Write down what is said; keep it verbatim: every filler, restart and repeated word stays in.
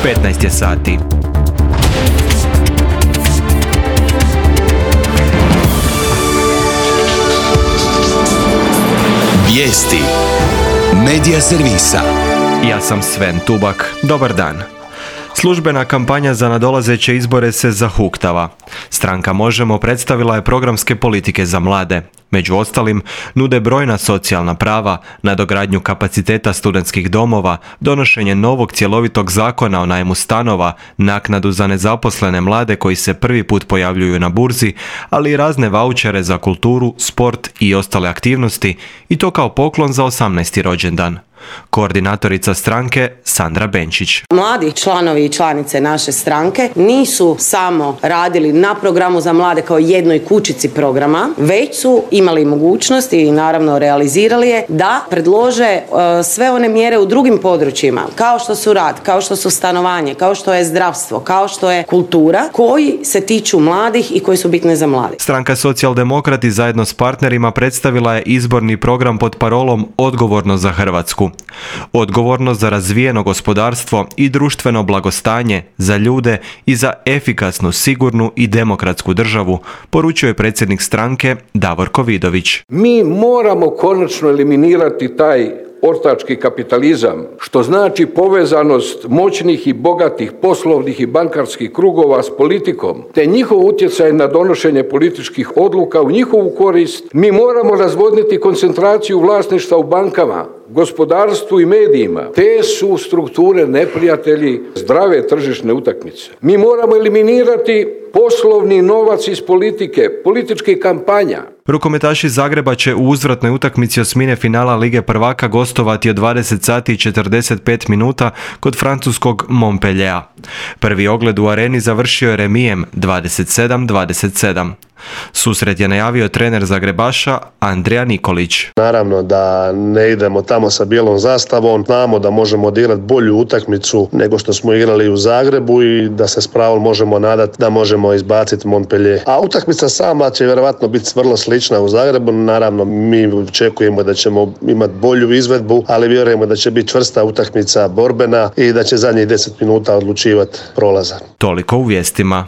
petnaest je sati. Vijesti Medija servisa. Ja sam Sven Tubak. Dobar dan. Službena kampanja za nadolazeće izbore se zahuktava. Stranka Možemo predstavila je programske politike za mlade. Među ostalim, nude brojna socijalna prava, nadogradnju kapaciteta studentskih domova, donošenje novog cjelovitog zakona o najmu stanova, naknadu za nezaposlene mlade koji se prvi put pojavljuju na burzi, ali i razne vaučere za kulturu, sport i ostale aktivnosti, i to kao poklon za osamnaesti rođendan. Koordinatorica stranke Sandra Benčić. Mladi članovi i članice naše stranke nisu samo radili na programu za mlade kao jednoj kućici programa, već su imali mogućnost i naravno realizirali je da predlože uh, sve one mjere u drugim područjima, kao što su rad, kao što su stanovanje, kao što je zdravstvo, kao što je kultura, koji se tiču mladih i koji su bitne za mlade. Stranka Socijaldemokrati zajedno s partnerima predstavila je izborni program pod parolom Odgovorno za Hrvatsku. Odgovorno za razvijeno gospodarstvo i društveno blagostanje, za ljude i za efikasnu, sigurnu i demokratsku državu, poručuje predsjednik stranke Davorko Vidović. Mi moramo konačno eliminirati taj ortački kapitalizam, što znači povezanost moćnih i bogatih poslovnih i bankarskih krugova s politikom, te njihov utjecaj na donošenje političkih odluka u njihovu korist. Mi moramo razvodniti koncentraciju vlasništva u bankama, gospodarstvu i medijima. Te su strukture neprijatelji zdrave tržišne utakmice. Mi moramo eliminirati poslovni novac iz politike, političkih kampanja. Rukometaši Zagreba će u uzvratnoj utakmici osmine finala Lige prvaka gostovati od dvadeset sati i četrdeset pet minuta kod francuskog Montpelliera. Prvi ogled u areni završio je remijem dvadeset sedam dvadeset sedam. Susret je najavio trener Zagrebaša Andrija Nikolić. Naravno da ne idemo tamo sa bijelom zastavom, znamo da možemo odigrati bolju utakmicu nego što smo igrali u Zagrebu i da se s pravom možemo nadati da možemo izbaciti Montpellier. A utakmica sama će vjerojatno biti vrlo slična u Zagrebu, naravno mi očekujemo da ćemo imati bolju izvedbu, ali vjerujemo da će biti čvrsta utakmica, borbena i da će zadnjih deset minuta odlučivati prolazak. Toliko u vijestima.